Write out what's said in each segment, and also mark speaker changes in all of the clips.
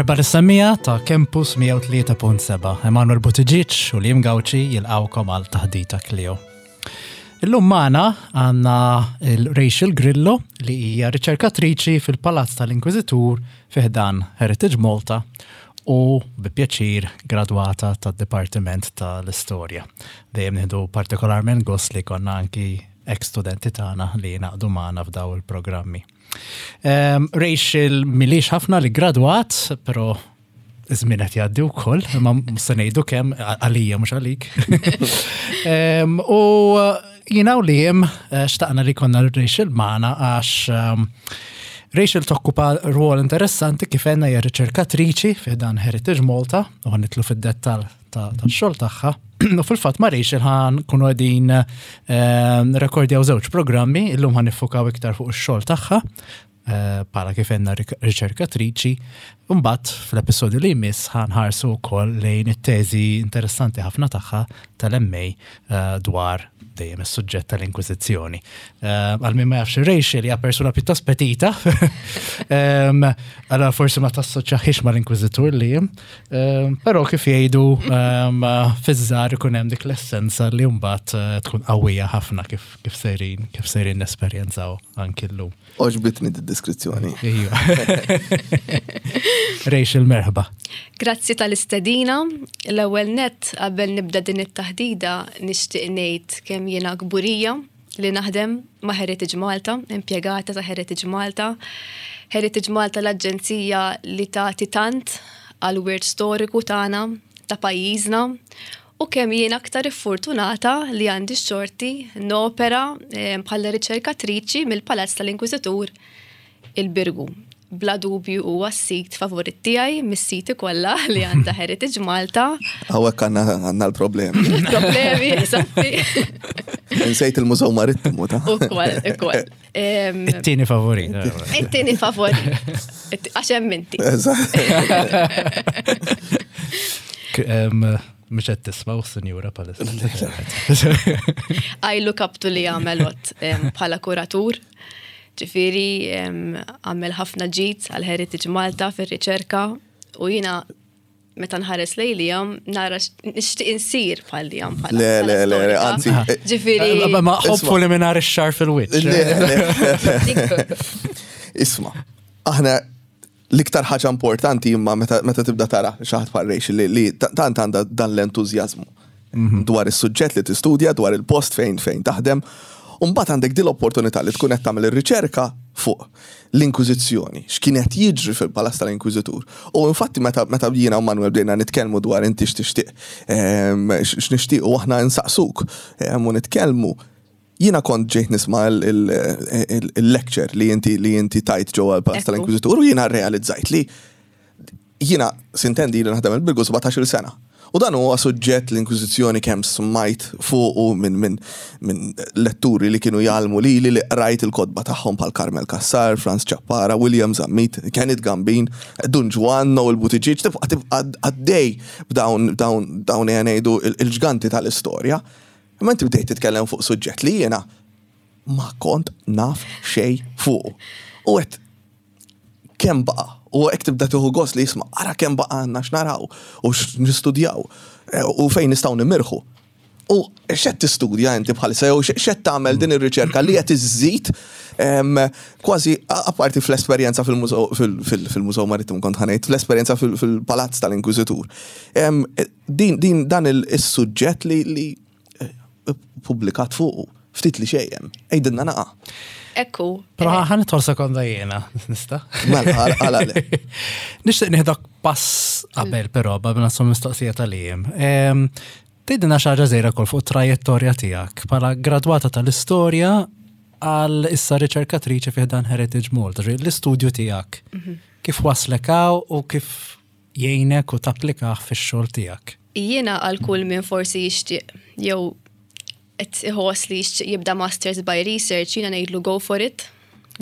Speaker 1: Merħba lis-semmiegħa ta' Campus 103.7. Emanuel Buttigieg u Liam Gauci jilqawkom għal taħdita Clio. Illum magħna għandna il-Rachel Grillo li hija riċerkatriċi fil-Palazz tal-Inkwiżitur fi ħdan Heritage Malta u bi pjaċir gradwata tad-Dipartiment tal-Istorja. Dejjem nieħdu partikolarment gost li konna anki ex-studenti tagħna li jingħaqdu magħna f'daw il-programmi. Ehm, Rachel milix ħafna li gradwat, pero iż-żmien qed jgħaddi wkoll, imma se ngħidu kemm għalija mhux għalik. Ehm, u jiena u li eh, xtaqna li konna Rachel magħna għax ehm, Rachel tokkupa rwol interessanti kif għenna hija riċerkatriċi fi dan Heritage Malta u ħanitlu fid-dettal tax-xogħol tagħha. U fil-fatt ma' Rachel ħan kunu qegħdin ehm, rekordjaw żewġ programmi, illum ħan nifukaw iktar fuq ix-xogħol tagħha eh, bħala kif għenna riċerkatriċi. Mbagħad fl-episodju li jmiss ħanħarsu wkoll lejn it-teżi interessanti ħafna tagħha tal-MA eh, dwar dejjem is-suġġett tal-Inkwiżizzjoni. Eh, għal min ma jafx Rachel hija persuna pjuttost petita. Ehm, allora forsi ma tassoċjaħiex mal-Inkwiżitur li ehm, però kif jgħidu ehm, fiż-żgħar ikun hemm dik l-essenza li mbagħad eh, tkun qawwija ħafna kif kif sejrin kif sejrin nesperjenzaw anki llum.
Speaker 2: Oġbitni d-deskrizzjoni.
Speaker 1: Iva. Rachel, merħba.
Speaker 3: Grazzi tal-istedina. L-ewwel net qabel nibda din it-taħdida nixtieq ngħid kemm jiena kburija li naħdem ma' Heritage Malta, impjegata ta' Heritage Malta. Heritage Malta l-aġenzija li tagħti tant għal wirt storiku tagħna ta' pajjiżna u kemm jien aktar iffurtunata li għandi x-xorti nopera eh, bħala riċerkatriċi mill-Palazz tal-Inkwiżitur il-Birgu. Bla dubju huwa s-sit favorit tiegħi mis-siti kollha li għandha Heritage Malta.
Speaker 2: Hawnhekk għandna l-problemi.
Speaker 3: Problemi, eżatti.
Speaker 2: Nsejt il-Mużew Marittimu ta'
Speaker 3: Ukoll, ukoll.
Speaker 1: It-tieni favorit.
Speaker 3: It-tieni favorit. Għax hemm inti.
Speaker 1: Mhux qed tisma' sinjura palissa.
Speaker 3: I look up to li għamel bħala kuratur. Ġifieri għamel ħafna ġid għal Heritage Malta fir-riċerka u jiena meta nħares lej li jam, nara nixtieq insir bħal li jam.
Speaker 2: Le, le, le, le, anzi.
Speaker 1: Eh,
Speaker 3: Ġifieri.
Speaker 1: Eh, ma hopefully minn ix-xar fil-wiċċ.
Speaker 2: Isma, aħna l-iktar ħaġa importanti imma meta tibda tara xi ħadd bħal Rachel li tant għandha dan l-entużjażmu mhm. dwar is-suġġett li tistudja, dwar il-post fejn fejn taħdem. Umbagħad għandek din l-opportunità li tkun qed tagħmel ir-riċerka fuq l-Inkwiżizzjoni, x'kien qed jiġri fil-Palazz tal-Inkwiżitur. U infatti meta meta jiena u Manuel bdejna nitkellmu dwar inti x'tixtieq ehm, x'nixtiequ aħna nsaqsuk ehm, u nitkellmu, jiena kont ġejt nisma' il-lecture li inti li inti tajt ġewwa l-Palazz tal-Inkwiżitur u jiena rrealizzajt li Jiena, sintendi, ili naħdem il-Birgu 17-il sena. U dan huwa suġġett l-Inkwiżizzjoni kemm smajt fuqu minn min, min letturi li kienu jgħallmu lili li qrajt il-kotba tagħhom bħal Carmel Cassar, Frans Ciappara, William Zammit, Kenneth Gambin, Dun Ġwann, Noel Buttigieg, tibqa' tibqa' għaddej b'dawn dawn dawn ejja ngħidu il-ġganti tal-istorja. Imma inti bdejt titkellem fuq suġġett li jiena ma kont naf xejn fuqu. U għedt kemm baqa' u hekk tibda tieħu gost li jisma' ara kemm baqa' għandna x'naraw u x'nistudjaw eh, u fejn nistgħu nimirħu. U x'qed tistudja inti bħalissa jew x'qed tagħmel din ir-riċerka li qed iżżid kważi apparti fl-esperjenza fil-Mużew Marittimu kont ħanejt, fl-esperjenza fil-Palazz tal-Inkwiżitur. Din dan is-suġġett li Publikat fuqu, ftit li xejn hemm. Għidilna naqa.
Speaker 3: Ekku.
Speaker 1: Però ħa nidħol sekonda jiena, nista'?
Speaker 2: Mela, għala le.
Speaker 1: Nixtieq nieħdok pass qabel però qabel naslu mistoqsija tal-jiem. Tgħidilna xi ħaġa żgħira wkoll fuq trajettorja tiegħek bħala gradwata tal-istorja għal issa riċerkatriċi fih dan Heritage Malta, l-istudju tiegħek. Mhm. Kif waslek hawn u kif jgħinek u tapplikah fix-xogħol tiegħek?
Speaker 3: Jiena għal kull min forsi jixtieq jew qed iħoss li jixtieq jibda Masters by Research jiena ngħidlu go for it,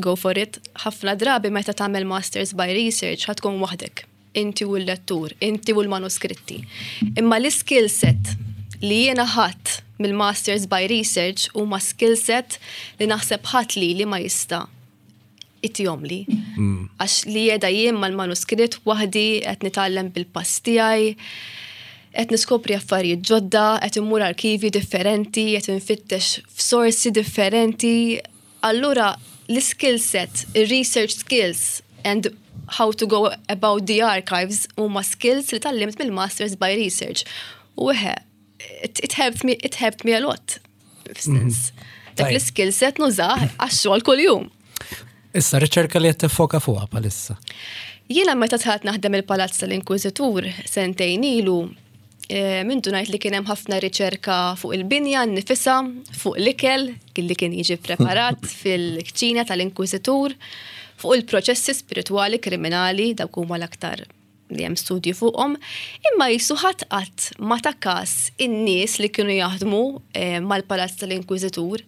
Speaker 3: go for it. Ħafna drabi meta tagħmel Masters by Research ħa tkun waħdek, inti u l-lettur, inti u l-manuskritti. Imma l-iskill set li jiena ħadt mill-Masters by Research huma skill set li naħseb ħadd lili ma jista' Itihomli. Għax li qiegħda jien mal-manuskritt waħdi qed nitgħallem bil-pass tiegħi, qed niskopri affarijiet ġodda, qed immur arkivi differenti, qed infittex f'sorsi differenti. Allura l-skill set, il-research skills and how to go about the archives huma skills li tgħallimt mill-Masters by Research. U eħe, it helped me, it helped me a lot. F'sens. Dak l-skill set nużah għax-xogħol kuljum.
Speaker 1: Issa riċerka li qed tiffoka fuqha bħalissa.
Speaker 3: Jiena meta tħat naħdem il-Palazz tal-Inkwiżitur sentejn ilu, eh, minn ngħid li kien hemm ħafna riċerka fuq il-binja nnifisha, fuq l-ikel li kien jiġi preparat fil-kċina tal-Inkwiżitur, fuq il-proċessi spiritwali kriminali dawk huma l-aktar li hemm studji fuqhom, imma jisu ħadd qatt ma ta kas in-nies li kienu jaħdmu eh, mal-Palazz tal-Inkwiżitur.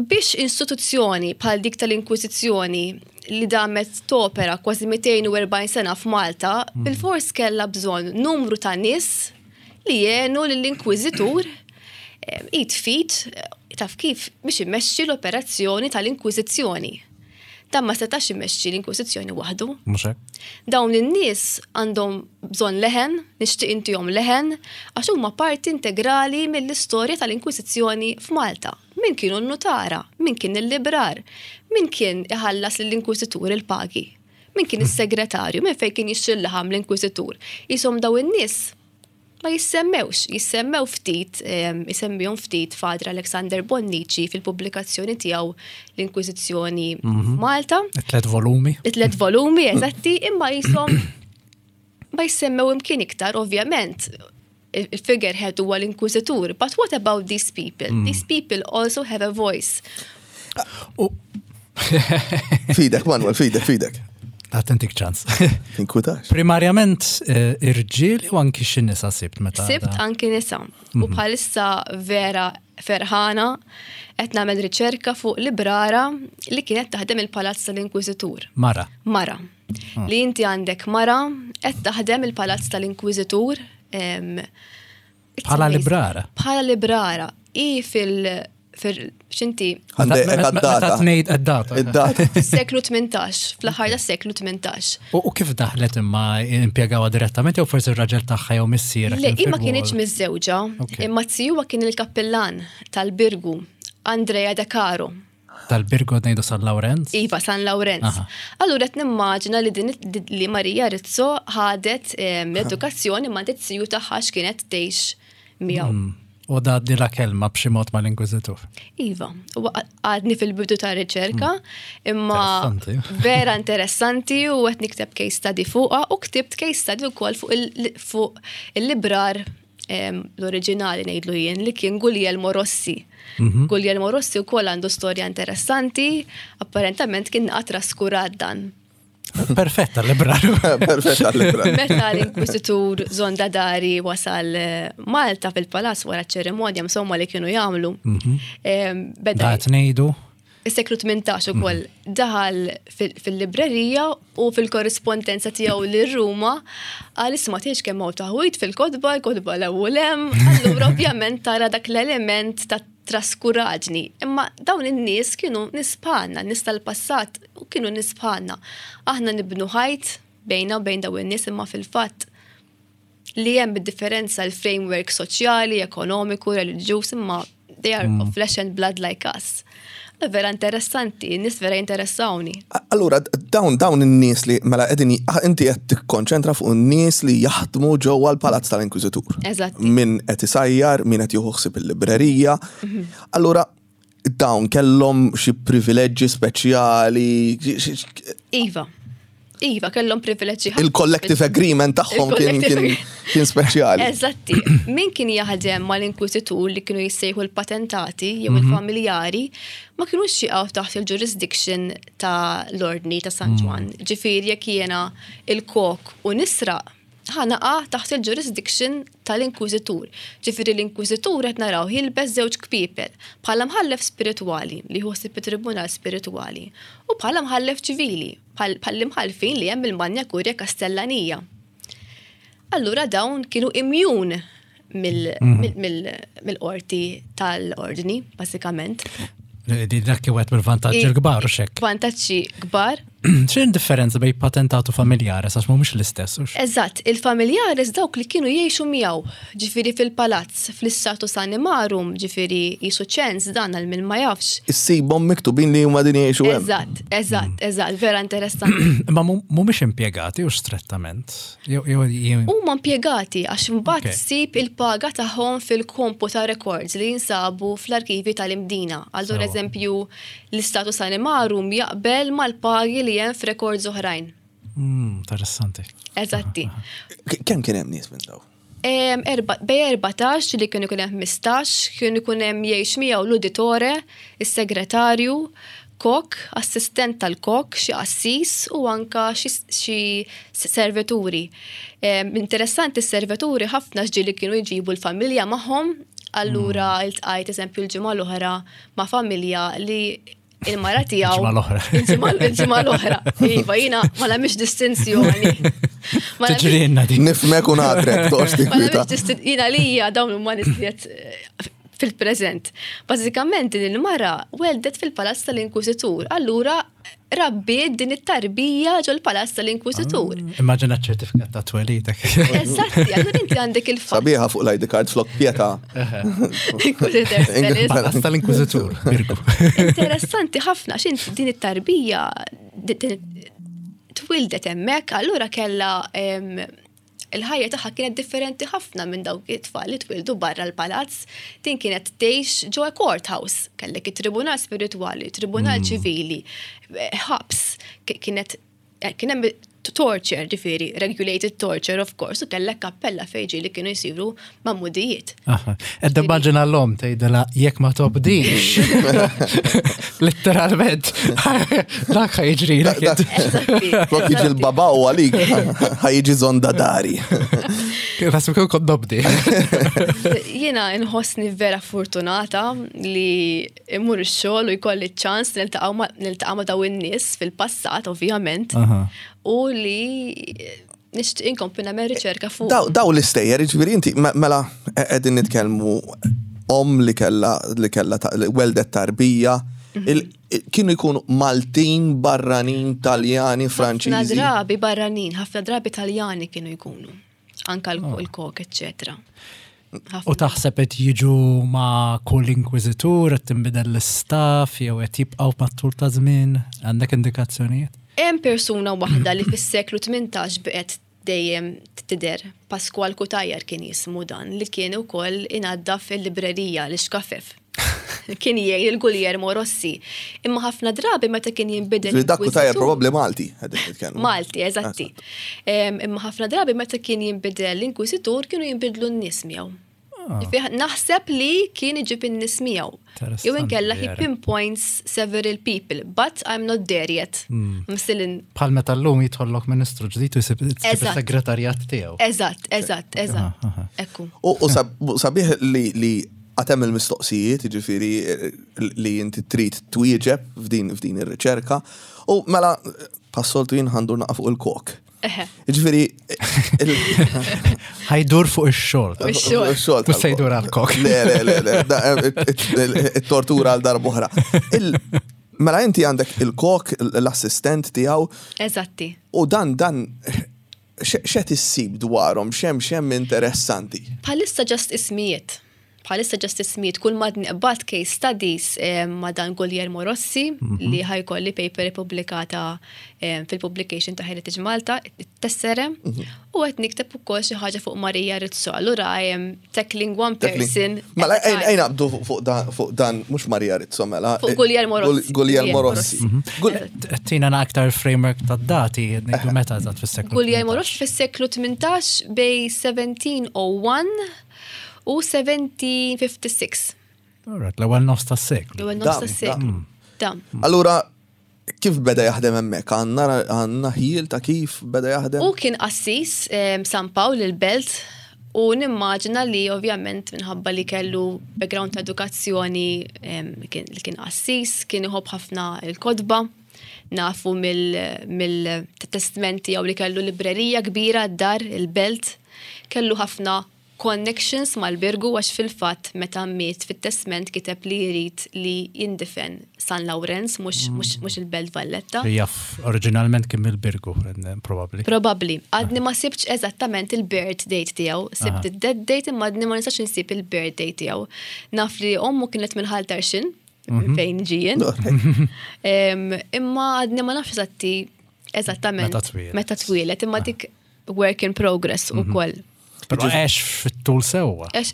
Speaker 3: Biex istituzzjoni bħal dik tal-Inkwiżizzjoni li damet topera kważi 240 sena f'Malta, bilfors kellha bżonn numru ta' nies li jgħinu lill-Inkwiżitur eh, id f'id eh, taf kif biex imexxi l-operazzjoni tal-Inkwiżizzjoni. Dan ma setax imexxi l-Inkwiżizzjoni waħdu.
Speaker 1: Mhux hekk?
Speaker 3: Dawn in-nies għandhom bżonn leħen, nixtieq intihom leħen, għax huma parti integrali mill-istorja tal-Inkwiżizzjoni f'Malta. Min kienu n-nutara, min kien il-librar, min kien iħallas lill-Inkwiżitur il-pagi, min kien is-segretarju, min fejn kien jixtri l-laħam l-Inkwiżitur. Jisom dawn in-nies ma jissemmewx, jissemmew ftit, isemmihom ftit Father Alexander Bonnici fil-pubblikazzjoni tiegħu l-Inkwiżizzjoni f'Malta.
Speaker 1: It-tlet volumi.
Speaker 3: It-tlet volumi, eżatti, imma jisom ma jissemmew imkien iktar, ovvjament. Il-figurehead huwa l-Inkwiżitur, but what about these people? These people also have a voice.
Speaker 2: Fidek, Manuel, fidek, fidek.
Speaker 1: Għat intik ċans.
Speaker 2: Tinkwitax.
Speaker 1: Primarjament eh, irġiel u anki xi nisa sibt meta.
Speaker 3: Sibt anki nisa. U mhm. bħalissa vera ferħana qed nagħmel riċerka fuq librara li kienet taħdem il-Palazz tal-Inkwiżitur.
Speaker 1: Mara.
Speaker 3: Mara. Ah. Li inti għandek mara qed taħdem il-Palazz tal-Inkwiżitur.
Speaker 1: Bħala librara.
Speaker 3: Bħala librara. I fil xinti.
Speaker 2: Għandek
Speaker 1: tnejt id-data.
Speaker 2: Id-data.
Speaker 3: Seklu 18, fl-aħħar tas seklu 18.
Speaker 1: U kif daħlet imma impjegawha direttament jew forsi r-raġel tagħha jew missiera?
Speaker 3: Le, imma kienx miżżewġa, imma zijuha kien il-kappillan tal-Birgu, Andrea De Caro.
Speaker 1: Tal-Birgu ngħidu San Lawrenz?
Speaker 3: Iva, San Lawrenz. Allura qed nimmaġina li din li Marija Rizzo ħadet ehm, l-edukazzjoni ma' ziju tagħha x'kienet tgħix miegħu.
Speaker 1: Hmm. U da la kelma b'xi mod mal-inkwiżitur.
Speaker 3: Iva, u għadni fil-bidu ta' riċerka, hmm. imma vera interessanti u qed nikteb case study fuqha u ktibt case study wkoll fuq il-librar l-oriġinali ngħidlu jien li kien Guglielmo Rossi. Mhm. Guglielmo Rossi wkoll għandu storja interessanti, apparentament kien naqa traskurat dan.
Speaker 1: Perfetta l-librar.
Speaker 2: Perfetta l-librar.
Speaker 3: Meta l-Inkwiżitur Zonda Dari wasal eh, Malta fil-palazz wara ċerimonja insomma li kienu jagħmlu.
Speaker 1: Mhm. Beda ngħidu.
Speaker 3: Is-seklu 18 ukoll mhm. daħal fil-librerija u fil-korrispondenza tiegħu lil Ruma għal isma' tgħidx kemm hawn taħwit fil-kotba, l-kotba l-ewwel hemm, allura ovvjament tara dak l-element ta' traskuraġni. Imma dawn in-nies kienu nies bħalna, nies tal-passat u kienu nies bħalna. Aħna nibnu ħajt bejna u bejn dawn in-nies imma fil-fatt li hemm id-differenza l-framework soċjali, ekonomiku, reliġjuż, imma they are of flesh and blood like us. Vera interessanti, nies vera jinteressawni.
Speaker 2: Allura, dawn dawn in-nies li mela qegħdin inti qed tikkonċentra fuq in-nies li jaħdmu ġewwa l-Palazz tal-Inkwiżitur.
Speaker 3: Eżatt.
Speaker 2: Min qed isajjar, min qed jieħu ħsieb il-librerija. Mhm. Allura, dawn kellhom xi privileġġi speċjali.
Speaker 3: Iva. Iva, kellhom privileġġi.
Speaker 2: Il-collective agreement tagħhom kien kien speċjali.
Speaker 3: Eżatti. Min kien jaħdem mal-inkwiżitur li kienu jissejħu l-patentati jew mhm. il-familjari ma kienux jaqgħu taħt il-jurisdiction ta' l-ordni ta' San mm. Ġwann. Ġifieri jekk jiena il-kok u nisraq ħa naqa' taħt il-jurisdiction tal-inkwiżitur. Ġifieri l-inkwiżitur qed naraw jilbes żewġ kpiepel, bħala mħallef spiritwali li jieħu ħsieb it-tribunal spiritwali u bħala mħallef ċivili, bħall-imħallfin li hemm il-Magna Curia Kastellanija. Allura dawn kienu immune mill-qorti tal-ordni, basikament.
Speaker 1: Li dak wieħed mill-vantaġġi l-kbar u xek.
Speaker 3: Vantaġġi kbar.
Speaker 1: X'in differenza bejn patentat u familjares għax mhumiex l-istess.
Speaker 3: Eżatt, il-familjares dawk li kienu jgħixu miegħu, ġifieri fil-palazz, fl-istatus animarum, ġifieri jisu ċens dan għal min ma jafx.
Speaker 2: Issibhom miktubin li huma din jgħixu
Speaker 3: hemm. Eżatt, eżatt, eżatt, vera interessanti.
Speaker 1: Ma mhumiex impjegati u strettament.
Speaker 3: Huma impjegati għax imbagħad ssib il-paga tagħhom fil-kompu ta' records li jinsabu fl-arkivi tal-Imdina. Allura eżempju l-istatus animarum jaqbel mal-pagi li hemm f'records oħrajn.
Speaker 1: Interessanti.
Speaker 3: Eżatti.
Speaker 2: Kemm kien hemm nies minn daw?
Speaker 3: Bej 14 li kienu ikun hemm 15, kienu ikun hemm jgħix miegħu l-uditore, is-segretarju, kok, assistent tal-kok, xi qassis u anka xi servituri. Interessanti s-servituri ħafna ġieli kienu jġibu l-familja magħhom, allura iltqajt eżempju l-ġimgħa l-oħra ma' familja li il-mara tiegħu.
Speaker 1: Il-ġimgħa l-oħra.
Speaker 3: Il-ġimgħa l-oħra. Iva, jiena ma nagħmilx distinzjoni.
Speaker 1: Tiġri din.
Speaker 2: Nifhmek u nagħtrek, toqgħodx
Speaker 3: tinkwita. Jiena lija dawn huma nies li qed fil-preżent. Bażikament din il-mara weldet fil-Palazz tal-Inkwiżitur, allura rabbiet din it-tarbija ġol-Palazz tal-Inkwiżitur.
Speaker 1: Ah, immaġina ċertifikat ta' twelidek.
Speaker 3: Eżatti, allura inti għandek il-fatt.
Speaker 2: Sabiħa fuq l-ID card flok pieta.
Speaker 1: Palazz tal-Inkwiżitur, Birgu.
Speaker 3: Interessanti ħafna x'int din it-tarbija twildet hemmhekk, allura kellha il-ħajja tagħha kienet differenti ħafna minn dawk it-tfal li twildu barra l-palazz. Din kienet tgħix ġo courthouse, kellek it-tribunal spiritwali, tribunal ċivili, ħabs, kienet kien hemm torture, ġifieri, regulated torture of course, u kellek kappella fejn ġieli kienu jsiru magħmudijiet.
Speaker 1: Qed nimmaġina l-omm tgħidilha jekk ma tobdix. Letteralment, dak ħa jiġrilek.
Speaker 2: Flok jiġi l-baba u għalik, ħa jiġi zonda dari.
Speaker 1: Nasib kieku kont nobdi.
Speaker 3: Jiena nħossni vera fortunata li immur ix-xogħol u jkolli ċ-ċans niltaqa' ma' dawn in-nies fil-passat, ovvjament, u li nixtieq inkompli nagħmel riċerka fuq.
Speaker 2: Daw l-istejjer, jiġifieri inti mela qegħdin nitkellmu omm li kellha li kellha weldet tarbija, kienu jkunu Maltin, barranin, Taljani, Franċiżi.
Speaker 3: Ħafna drabi barranin, ħafna drabi Taljani kienu jkunu. Anka l-kok, eċċetera.
Speaker 1: U taħseb qed jiġu ma' kull inkwiżitur, qed tinbidel l-istaff jew qed jibqgħu mat-tul ta' żmien? Għandek indikazzjonijiet?
Speaker 3: Hemm persuna waħda li fis-seklu 18 baqgħet dejjem tidher, Pasqual Cutajar kien jismu dan, li kien ukoll inaddaf il-librerija, l-ixkafef. Kien jgħin lil Guglielmo Rossi. Imma ħafna drabi meta kien jinbidel.
Speaker 2: Dak Cutajar probabbli Malti, qegħdin nitkellmu.
Speaker 3: Malti, eżatti. Imma ħafna drabi meta kien jinbidel l-inkwiżitur kienu jinbidlu n-nies miegħu. Ah. Naħseb li kien iġib in-nies miegħu. Jew inkella he pinpoints several people, but I'm not there yet. I'm still in.
Speaker 1: Bħal meta llum jidħollok ministru ġdid u jsib is-segretarjat tiegħu.
Speaker 3: Eżatt, eżatt, eżatt. Ekku.
Speaker 2: U sabiħ li għatem il-mistoqsijiet, ġifieri li inti trid twieġeb f'din f'din ir-riċerka. U mela, passoltu jien ħandur naqa' fuq il-kok. Ġifieri.
Speaker 1: Ħajdur fuq ix-xogħol.
Speaker 3: Ix-xogħol.
Speaker 1: Mhux se jdur għall-kok.
Speaker 2: Le, le, le, le, it-tortura għal darb'oħra. Mela inti għandek il-kok, l-assistent tiegħu.
Speaker 3: Eżatti.
Speaker 2: U dan dan x'qed issib dwarhom, x'hemm x'hemm interessanti?
Speaker 3: Bħalissa ġast ismijiet. Bħalissa ġast ismijiet kull ma nqbad case studies eh, ma' dan Guglielmo Rossi mhm. li ħajkolli paper ippubblikata eh, fil-publication ta' Heritage Malta, it-tessere, mhm. u qed nikteb ukoll xi ħaġa fuq Marija Rizzo. Allura I am tackling one person.
Speaker 2: Mela ejn naqbdu fuq dan mhux Marija Rizzo mela.
Speaker 3: Fuq Guglielmo Rossi.
Speaker 2: Guglielmo Rossi.
Speaker 1: Mhm. Tina aktar framework ta' dati, ngħidu meta eżatt fis-seklu.
Speaker 3: Guglielmo Rossi fis-seklu 18 bej 1701 u 1756.
Speaker 1: Alright, l-ewwel nofs tas-seklu.
Speaker 3: L-ewwel nofs tas-seklu. Dam.
Speaker 2: Allura, kif beda jaħdem hemmhekk? Għandna ħjiel ta' kif beda jaħdem?
Speaker 3: Hu kien qassis San Pawl il-Belt u nimmaġina li ovvjament minħabba li kellu background ta' edukazzjoni li kien qassis, kien iħobb ħafna l-kotba. Nafu mill-testment tiegħu li kellu librerija kbira d-dar, il-Belt. Kellu ħafna. connections mal-Birgu għax fil-fatt meta miet fit-testment kiteb li jrid li jindifen San Lawrenz mhux mhux il-Belt Valletta.
Speaker 1: Li jaf oriġinalment kien mill-Birgu, probabbli.
Speaker 3: Probabbli. Għadni ma sibtx eżattament il-birth date tiegħu. Sibt id-death date imma għadni ma nistax insib il-birth date tiegħu. Naf li ommu kienet minn Ħal Tarxien, mhm. fejn ġien. Imma għadni ma nafx eżatti eżattament meta twieled, imma dik work in progress u mhm. koll.
Speaker 1: Pero għex fit-tul sewwa.
Speaker 3: Eh,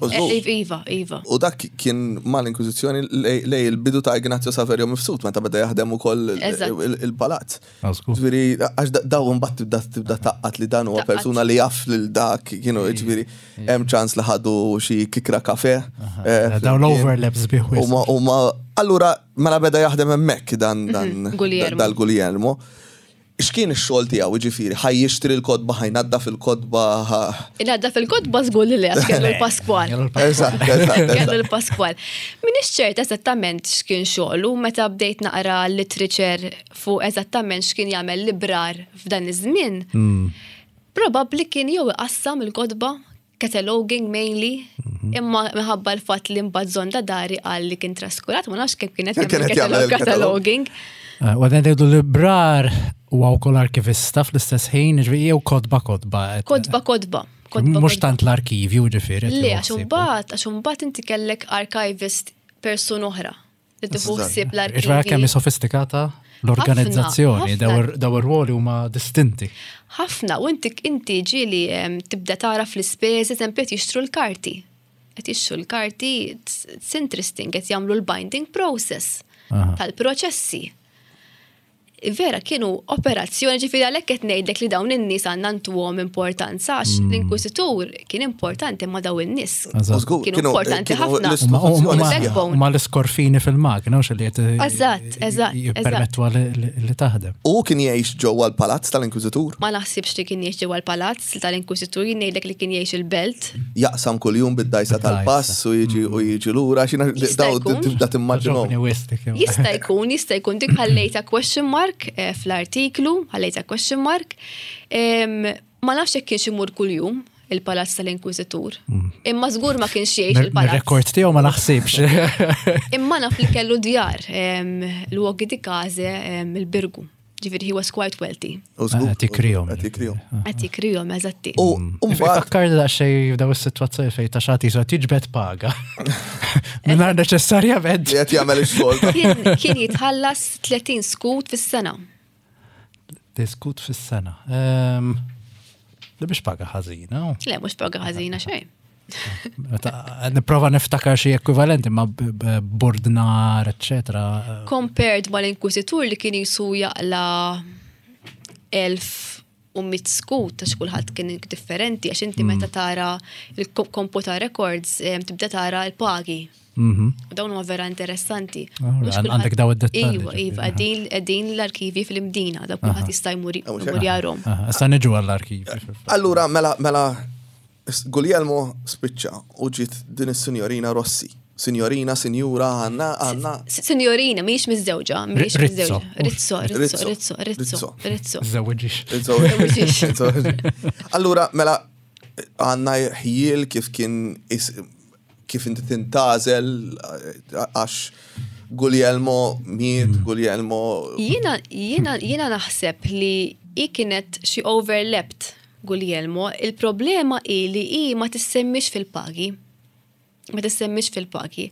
Speaker 3: iva, iva.
Speaker 2: U dak kien mal-Inkwiżizzjoni lej il-bidu ta' Ignazio Saverio Mifsud, meta beda jaħdem ukoll il-palazz. Ġifieri, għax daw imbagħad tibda tibda taqqat li dan huwa persuna li jaf lil dak, kienu ġifieri hemm ċans li ħadu xi kikra kafe.
Speaker 1: Eh, daw l-overlaps biħwis.
Speaker 2: Huma allura mela beda jaħdem hemmhekk dan mhm, dal-Guglielmo. X'kien ix-xogħol tiegħu, jiġifieri, ħa jixtri l-kotba, ħa jnaddaf il-kotba, ħa.
Speaker 3: Inaddaf il-kotba żgur li le, għax kellu l-Paskwal.
Speaker 2: Eżatt, eżatt.
Speaker 3: Kellu l-Paskwal. M'iniex ċert eżattament x'kien xogħlu meta bdejt naqra literature fuq eżattament x'kien jagħmel librar f'dan iż-żmien. Hmm. Probabbli kien jew iqassam il-kotba cataloging mainly, mhm. imma minħabba l-fatt li mbagħad Zonda Dari qal li kien traskurat, ma nafx kemm kienet jagħmel cataloging.
Speaker 1: Eh, u għadna ngħidu li brar huwa wkoll arkivista fl-istess ħin, ġifieri jew kodba kodba.
Speaker 3: Kodba kodba.
Speaker 1: Mhux tant l-arkivju ġifieri.
Speaker 3: Le, għax imbagħad, għax imbagħad inti kellek archivist person oħra li tieħu ħsieb
Speaker 1: l-arkivji. Ġifieri kemm sofistikata l-organizzazzjoni, daw ir-ruoli huma distinti.
Speaker 3: Ħafna, u inti inti ġieli tibda tara fl-ispejjeż, eżempju qed jixtru l-karti. Qed jixtru l-karti, it's interesting, qed jagħmlu l-binding process tal-proċessi. Vera kienu operazzjoni ġifieri għalhekk qed ngħidlek li dawn in-nies għandna ntuhom importanza għax mm. l-inkwiżitur kien importanti ma dawn in-nies. Kienu importanti ħafna.
Speaker 1: Ma l-iskorfini fil-magna u li qed
Speaker 3: Eżatt, eżatt.
Speaker 1: Jippermettu li taħdem.
Speaker 2: U kien jgħix ġewwa l-palazz tal-inkwiżitur?
Speaker 3: Ma naħsibx li kien jgħix ġewwa l-palazz tal-inkwiżitur, jien ngħidlek li kien jgħix il-belt.
Speaker 2: Jaqsam kuljum bid-dajsa tal-pass u jiġi u jiġi lura xina daw tibda timmaġinhom.
Speaker 3: Jista' jkun, jista' jkun dik ħallejta question mark eh, fl-artiklu, ħallejta question mark. Ma nafx jekk kienx imur kuljum il-palazz tal-Inkwiżitur. Mm. Imma żgur ma kienx jgħix il-palazz.
Speaker 1: Rekord tiegħu ma naħsibx.
Speaker 3: Imma naf li kellu djar l-luoghi di case il-Birgu. Ġifieri he was quite wealthy.
Speaker 1: Qed jikrijhom.
Speaker 2: Qed jikrijhom.
Speaker 3: Qed jikrijhom, eżatti.
Speaker 2: U mbagħad.
Speaker 1: Fakkarni daqsxejn f'daw is-sitwazzjoni fejn ta' xagħti jisu qed jiġbed paga. Mingħajr neċessarjament.
Speaker 2: Li qed jagħmel ix-xogħol.
Speaker 3: Kien jitħallas 30 skut fis-sena.
Speaker 1: Skut fis-sena. Ehm, li biex paga ħażina.
Speaker 3: Le, mhux paga ħażina xejn.
Speaker 1: Niprova niftakar xi ekwivalenti ma' bordnar, eccetera.
Speaker 3: Compared mal-inkwizitur li kien jisu jaqla 1100 skut għax kulħadd kien differenti għax inti meta mm. tara il-computer records tibda tara l-pagi. Mhm. U dawn huma vera interessanti.
Speaker 1: Għandek daw id-dettalji.
Speaker 3: Iva, iva, qegħdin l-arkivi fil-Imdina, dak kulħadd jista' jmur jarhom.
Speaker 1: Issa niġu għall-arkivi.
Speaker 2: Allura mela mela Guglielmo spiċċa u ġiet din is-Sinjorina Rossi. Sinjorina, sinjura, għanna, għanna.
Speaker 3: Sinjorina, mhijiex miżżewġa, mhijiex miżżewġa. Rizzo, Rizzo, Rizzo, Rizzo, Rizzo.
Speaker 1: Żewġix.
Speaker 2: Rizzo. Allura, mela, għanna ħjiel kif kien kif inti tintażel għax Guglielmo miet, mm. Guglielmo.
Speaker 3: Jiena, jiena, jiena naħseb li i kienet xi overlapped Guglielmo, il-problema hi li hi ma tissemmix fil-pagi. Ma tissemmix fil-pagi.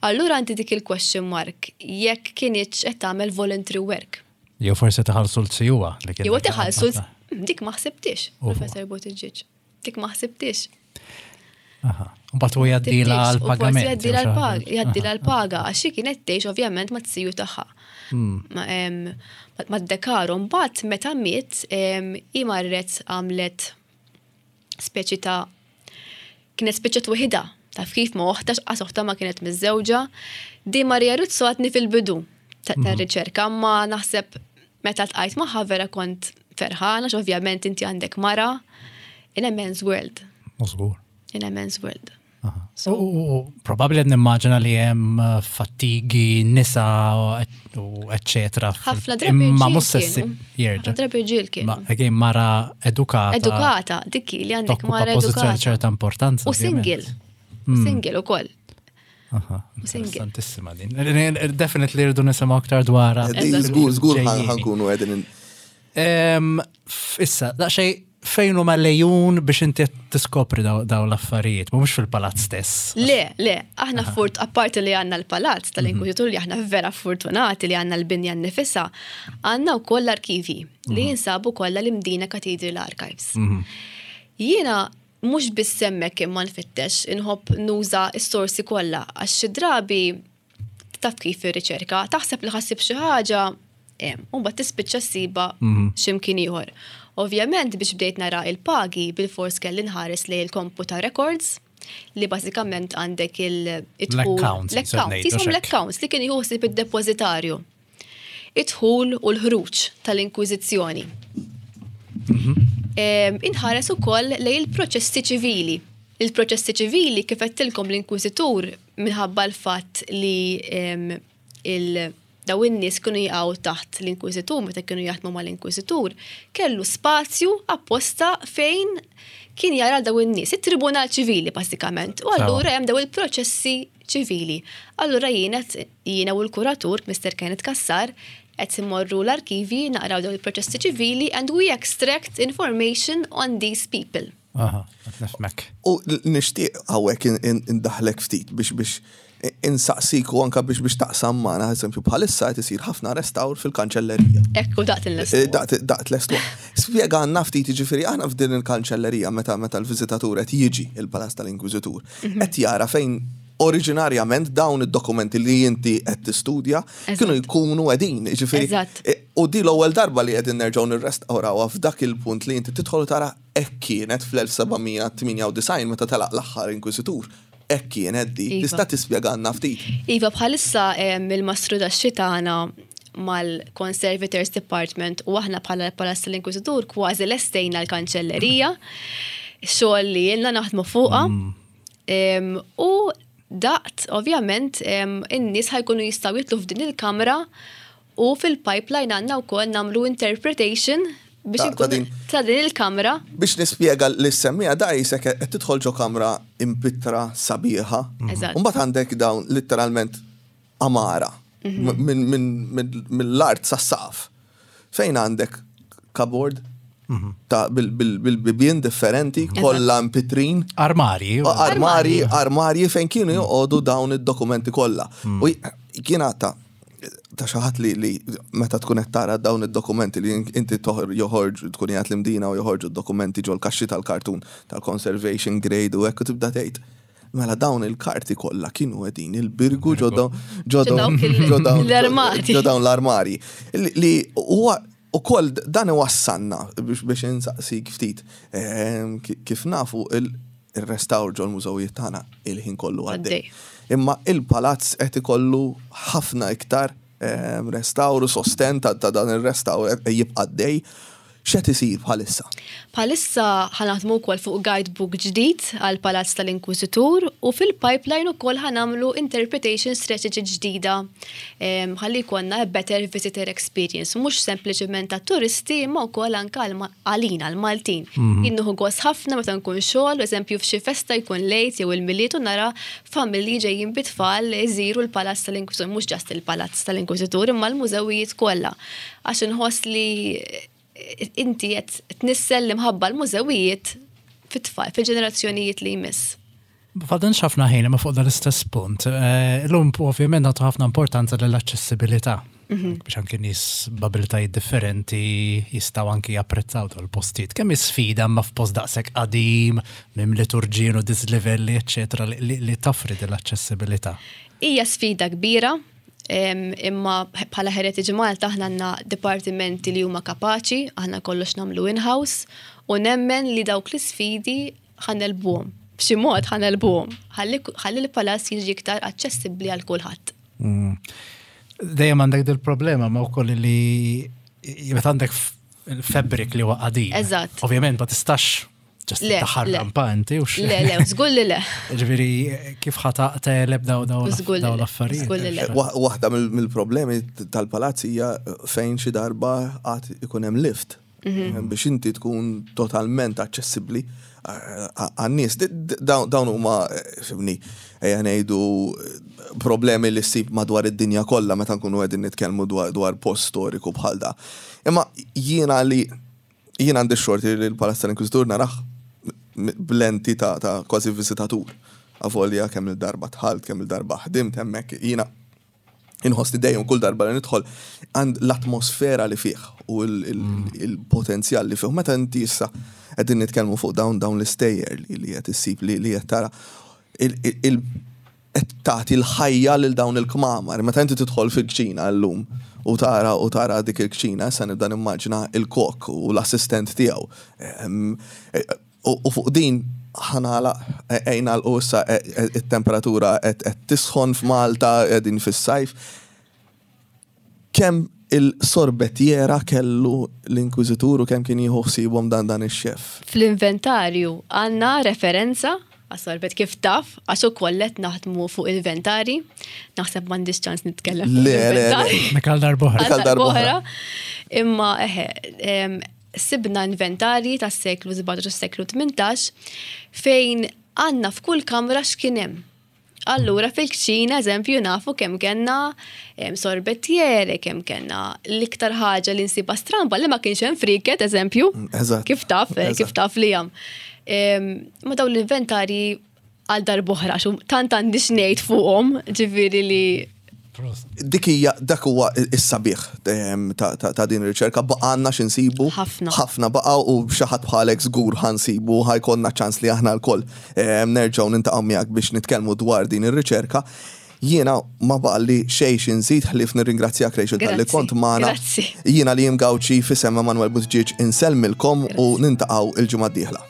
Speaker 3: Allura għandi dik il-question mark jekk kinitx qed tagħmel voluntary work.
Speaker 1: Jew forsi taħallsu l-sijuwa.
Speaker 3: Jew taħallsu dik ma ħsibtix, Professor Buttigieg. Dik ma ħsibtix.
Speaker 1: Aha. Mbagħad u jgħaddila l-pagament.
Speaker 3: Jgħaddila l-paga, jgħaddila l-paga, għax hi kienet tgħix ovvjament ma t-siju tagħha. Hmm. Ma d-dekaru, mbagħad meta miet, hi marret għamlet speċi ta' kienet speċi waħida, taf kif ma oħta x'qas oħta ma kienet miżżewġa. Di Maria Rizzo għadni fil-bidu ta' hmm. riċerka, ma naħseb meta tqajt magħha vera kont ferħana, ovvjament inti għandek mara in a man's world.
Speaker 1: Żgur.
Speaker 3: In a man's world.
Speaker 1: U probabbli qed nimmaġina li hemm eh, fattigi, nisa u eċċetera.
Speaker 3: Ħafna drabi
Speaker 1: Imma mhux se jerġa'.
Speaker 3: Ħafna drabi ġiel kienu.
Speaker 1: Ma again mara edukata.
Speaker 3: Edukata, dikki li għandek mara
Speaker 1: edukata. ċerta importanza.
Speaker 3: U single. Hmm. Single ukoll.
Speaker 1: Interessantissima din. Definitely rridu nisimgħu aktar dwarha.
Speaker 2: Żgur, żgur ħankunu qegħdin
Speaker 1: Issa, daqsxejn fejn huma lejun biex inti tiskopri daw l-affarijiet, mhux fil-palazz stess.
Speaker 3: Le, le, aħna furt apparti li għandna l-palazz tal-Inkwizitur li aħna vera fortunati li għandna l-binja nnifisha, għandna wkoll l-arkivi li mhm. jinsabu kollha l-Imdina Cathedral Archives. Mhm. Jiena mhux biss hemmhekk imma nfittex, inħobb nuża s-sorsi kollha għax xi drabi taf kif ir-riċerka, taħseb li ħassib xi ħaġa, u mbagħad tispiċċa ssibha mhm. x'imkien ieħor. Ovvjament biex bdejt nara il-pagi bil-fors kelli nħares lejn il-computer records li bażikament għandek
Speaker 1: il-accounts.
Speaker 3: L-accounts, jisom l-accounts li kien jħossib id-depozitarju. Id-dħul u l-ħruġ tal-Inkwiżizzjoni. Mhm. Inħares ukoll lejn il-proċessi ċivili. Il-proċessi ċivili kif għedtilkom l-Inkwiżitur minħabba l-fatt li il daw in-nies kienu jaqgħu taħt l-Inkwiżitur meta kienu jaħdmu mal-Inkwiżitur, kellu spazju apposta fejn kien jara daw in-nies, it-Tribunal Ċivili bażikament. U allura hemm daw il-proċessi ċivili. Allura jiena jiena u l-kuratur, Mr. Kenneth Cassar, qed immorru l-arkivi naqraw dawn il-proċessi ċivili and we extract information on these people.
Speaker 1: Aha, qed nifhmek.
Speaker 2: U nixtieq hawnhekk indaħħlek ftit biex biex insaqsik u anka biex biex taqsam magħna, eżempju bħalissa qed isir ħafna restawr fil-kanċellerija.
Speaker 3: Ekku daqt il-lestu.
Speaker 2: Eh, daqt daqt lestu. Spjegalna ftit jiġifieri aħna f'din il-kanċellerija meta meta l-viżitatur qed jiġi il-Palazz tal-Inkwiżitur, mhm. qed jara fejn oriġinarjament dawn id-dokumenti li inti qed tistudja kienu jkunu qegħdin. Jiġifieri, e, u di l-ewwel darba li qegħdin nerġgħu nirrestawrawha f'dak il-punt li inti tidħol tara hekk kienet fl-1798 meta telaq l-aħħar inkwiżitur. Hekk kienet di. Iva. Tista' tispjegalna ftit?
Speaker 3: Iva, bħalissa il-mastru tax-xi tagħna mal-Conservators Department u aħna bħala l-Palazz tal-Inkwiżitur kważi lestejna l-kanċellerija, xogħol li ilna naħdmu fuqha. Mm. U daqt, ovvjament, in-nies ħajkunu jistgħu jitlu f'din il-kamra u fil-pipeline għandna wkoll nagħmlu interpretation biex inkun ta' din il-kamra.
Speaker 2: Biex nispjega li semmija da jisek qed tidħol ġo kamra impittra sabiħa. Eżatt. Mbagħad għandek dawn litteralment għamara mill-art sas-saqaf. Fejn għandek cupboard ta' bil-bibien differenti, kollha mpitrin.
Speaker 1: Armarji.
Speaker 2: Armarji, armarji fejn kienu joqogħdu dawn id-dokumenti kollha. Mm. U kien ta' ta' xi ħadd li li meta tkun qed tara dawn id-dokumenti li inti joħorġu tkun qiegħed l-imdina u joħorġu d-dokumenti ġol kaxxi tal-kartun tal-conservation grade u hekk u tibda tgħid Mela dawn il-karti kollha kienu qegħdin il-birgu ġo dawn l-armari. Li huwa ukoll dan iwassalna biex insaqsik ftit ehm, kif nafu il-restawr ġol mużewijiet tagħna il-ħin kollu għaddej. Imma il-palazz qed ikollu ħafna iktar ehm, restawr u sosten ta' dan ir-restawr jibqa' għaddej. X'qed isir bħalissa?
Speaker 3: Bħalissa ħa naħdmu wkoll fuq guidebook ġdid għall-Palazz tal-Inkwiżitur u fil-pipeline ukoll ħa nagħmlu interpretation strategy ġdida ħalli jkollna a better visitor experience, mhux sempliċement għat-turisti imma wkoll anke għalina l-Maltin. Mhm. Jien nieħu gost ħafna meta nkun xogħol, eżempju f'xi festa jkun lejt jew il-Milied u nara familji ġejjin bit-tfal iżiru l-Palazz tal-Inkwiżitur, mhux ġast il-Palazz tal-Inkwiżitur imma l-mużewijiet kollha. Għax inħoss li inti qed tnissel l-imħabba l-mużewijiet fit-tfal, fil-ġenerazzjonijiet li jmiss.
Speaker 1: Fadalx ħafna ħin imma fuq dal-istess punt. Eh, illum ovvjament nagħtu ħafna importanza lill-aċċessibilità. Mhm. Biex anki nies b'abilitajiet differenti jistgħu anki japprezzaw dal-postijiet. Kemm sfida ma f'post daqshekk qadim, minn liturġin u dislivelli, eċċetera, li toffri din l-aċċessibilità.
Speaker 3: Hija sfida kbira, Imma bħala Heritage Malta aħna għandna dipartimenti li huma kapaċi, aħna kollox nagħmlu in-house u nemmen li dawk l-isfidi ħanelbuhom. B'xi mod ħanelbuhom. Ħalli l-palazz jiġi iktar aċċessibbli għal kulħadd.
Speaker 1: Mm. Dejjem għandek dil-problema ma wkoll li meta għandek il-fabric li huwa qadim.
Speaker 3: Eżatt.
Speaker 1: Ovvjament ma tistax Just daħal rampanti u
Speaker 3: Le, le, żgur li le.
Speaker 1: Ġifieri kif ħa taqteleb daw daw l-affarijiet.
Speaker 2: Waħda mill-problemi tal-palazz hija fejn xi darba għad ikun hemm lift. Mhm. Biex inti tkun totalment aċċessibbli eh, għan-nies. Dawn huma eh, fimni, ejja ngħidu problemi li ssib madwar id-dinja kollha meta nkunu qegħdin nitkellmu dwar post storiku bħal da. Imma jiena li Jien għandi x-xorti li l-Palazz tal-Inkwiżitur narah b'lenti ta' ta' kważi viżitatur. Avolja kemm il-darba dħalt, kemm il-darba ħdimt hemmhekk, jiena inħossni dejjem kull darba li nidħol għand l-atmosfera li fih u l-potenzjal li fih. Meta inti issa qegħdin nitkellmu fuq dawn dawn l-istejjer li qed issib li qed tara qed tagħti l-ħajja lil dawn il-kmamar. Meta inti tidħol fil-kċina llum u tara u tara dik il-kċina, issa nibda nimmaġina il-kok u l-assistent tiegħu. U fuq din ħa nagħlaq, ejja nagħlqu issa it-temperatura qed tisħon f'Malta, qegħdin fis-sajf. Kemm il-sorbettiera kellu l-Inkwiżitur u kemm kien jieħu ħsiebhom dan dan ix-xef?
Speaker 3: Fl-inventarju għandna referenza għas-sorbet kif taf, għax ukoll qed naħdmu fuq inventari. Naħseb m'għandix ċans nitkellem fuq
Speaker 2: l-inventari.
Speaker 1: Dik għal darb'oħra.
Speaker 2: Dik għal darb'oħra.
Speaker 3: Imma eħe, sibna inventari tas-seklu 17 u s-seklu 18 fejn għandna f'kull kamra x'kien hemm. Allura fil-kċina, eżempju, nafu kemm kellna sorbettiere, kemm kellna l-iktar ħaġa li nsibha stramba li ma kienx hemm friket, eżempju.
Speaker 2: Mm,
Speaker 3: kif taf, eh, kif taf li hemm. Ma dawn l-inventari għal darbohra, xu tant għandi xnejt fuqhom, ġifieri li
Speaker 2: Dik hija dak huwa s-sabiħ ehm, ta' din ir-riċerka baqgħanna x'insibu.
Speaker 3: Ħafna.
Speaker 2: Ħafna baqa' u xi ħadd bħalek żgur ħansibu ħajkollna ċans li aħna lkoll ehm, nerġgħu nintaqgħu miegħek biex nitkellmu dwar din ir-riċerka. Jiena ma baqalli xejn xi nżid ħlief nirringrazzjak Rachel talli kont magħna. Jiena li Gawċi f'isem Emanuel Buttigieg insellmilkom u nintaqgħu il-ġimgħa d-dieħla.